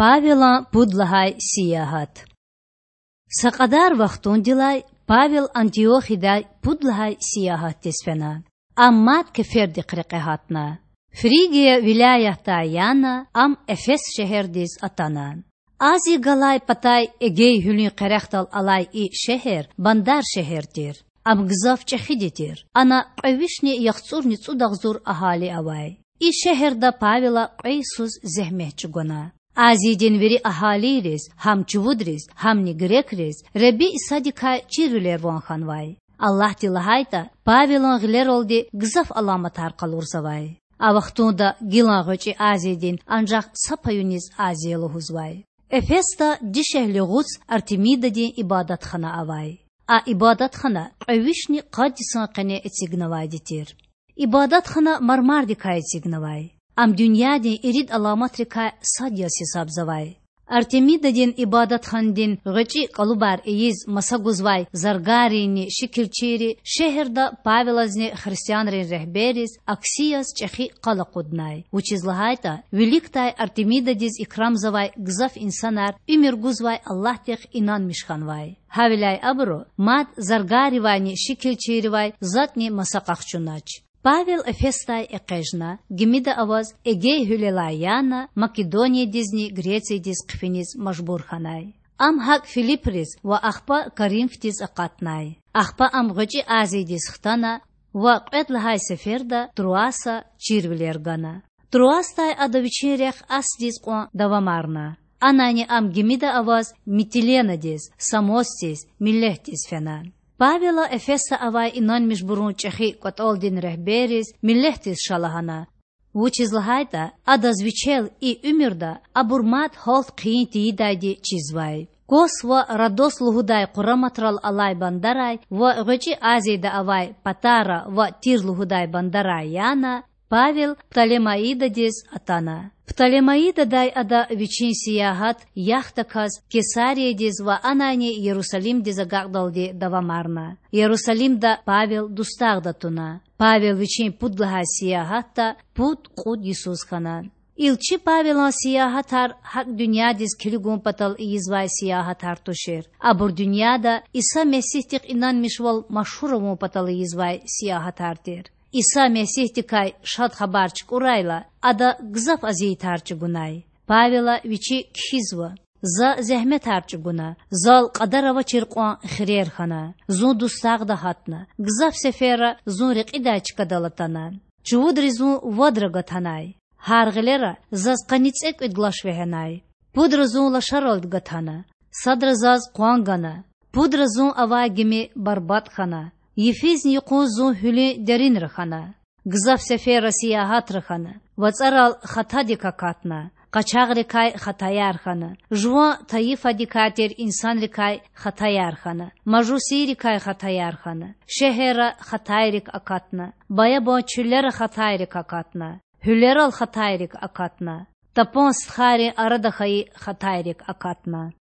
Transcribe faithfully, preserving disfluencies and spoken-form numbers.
Павелан пуд лагьай сиягьат. Са кьадар вахтундилай Павел Антиохиядай пуд лагьай сиягьатдиз фена. Ам мад кефердихъ рекье гьатна. Фригия вилаятдай яна, ам Эфес шегьердиз атана. Азия галай патай Эгей гьуьлуьн къерехдал алай и шегьер бандар шегьер тир. Ам гзаф чӀехиди тир. Ана кьве вишни яхцӀурни цӀуд агъзур агьали авай. И шегьерда Павела кьве йисуз зегьмет чӀугвана. Азиядин вири агьалийриз, гьам чувудриз, гьамни грекриз, Худа Исадикай чирвилер ван хьанвай. Аллагьди лагьайтӀа, Павелан гъилералди гзаф аламатар къалурзавай. А вахтунда гилан ГъвечӀи Азиядин анжах са паюниз Азия лугьузвай. Эфесда дишегьли гъуц Артемидадин ибадатхана авай. А ибадатхана кьве вишни къад йисан къене эцигнавайди тир. Ибадатхана мармардикай эцигнавай. Ам дуьньядин ирид аламатрикай сад яз гьисабзавай. Артемидадин ибадатханадин гъвечӀи кӀалубар ийиз маса гузвай заргарринни шикилчийри шегьерда Павелазни христианрин регьберриз акси яз чӀехи къал акъуднай, вучиз лагьайтӀа виликдай Артемидадиз икрамзавай гзаф инсанар уьмуьр гузвай Аллагьдихъ инанмиш хьанвай. Гьавиляй абуру мад заргарривайни шикилчийривай затӀни маса къахчунач. Павел Эфесдай экъечӀна, гимида аваз Эгей гьуьлелай яна, Македониядизни Грециядиз хъфиниз мажбур хьанай. Ам гьакӀ Филиприз ва ахпа Коринфдиз акъатнай. Ахпа ам ГъвечӀи Азиядиз хтана ва кьвед лагьай сеферда Труаса чирвилер гана. Труасдай ада вичин рехъ Асдиз кьван давамарна. Анайни ам гимида аваз Митиленадиз, Самосдиз, Милетдиз фена. Павела Эфесда авай инанмишбурун чӀехи кӀватӀалдин регьберриз, Милетдиз ша лагьана, вучиз лагьайтӀа адаз вичел и уьмуьрда абур мад гьалт хъийин тийидайди чизвай. Кос ва Родос лугьудай къураматрал алай бандарай ва ГъвечӀи Азияда авай Патара ва Тир лугьудай бандарай яна, Павел Птолемаидадиз атана. Птолемаидадай ада вичин сиягьат яхдаказ Кесариядиз ва анайни Ярусалимдиз агакьдалди давамарна. Ярусалимда Павел дустагъда туна. Павел вичин пуд лагьай сиягьатда пуд-кьуд йисуз хьана. Илчи Павелан сиягьатар гьакӀ дуьньядиз килигун патал ийизвай сиягьатар тушир. Абур дуьньяда Иса Месигьдихъ инанмишвал машгьур авун патал ийизвай сиягьатар тир. Иса Месигьдикай Шад Хабар чукӀурайла, ада гзаф азиятар чӀугунай. Павела вичи кхьизва: За зегьметар чӀугуна, зал кьадар авачир кьван хирер хьана, зун дустагъда гьатна, гзаф сеферра зун рекьидай чкадал атана. Чувудри зун вадра гатанай. Гьар гъилера заз къанни цӀекӀуьд лаш вегьенай. Пудра зун лашаралди гатана, садра заз къван гана. Пудра зун авай гими барбатӀ хьана, йифизни юкъуз зун гьуьлуьн деринра хьана. Гзаф сеферра сиягьатра хьана, вацӀарал хатадик акатна, къачагърикай хатаяр хьана, жуван тайифадикай тир инсанрикай хатаяр хьана, мажусийрикай хатаяр хьана, шегьерра хатайрик акатна, баябан чуьллера хатайрик акатна, гьуьлерал хатайрик акатна, тапан стхайрин арада хьайи хатайрик акатна.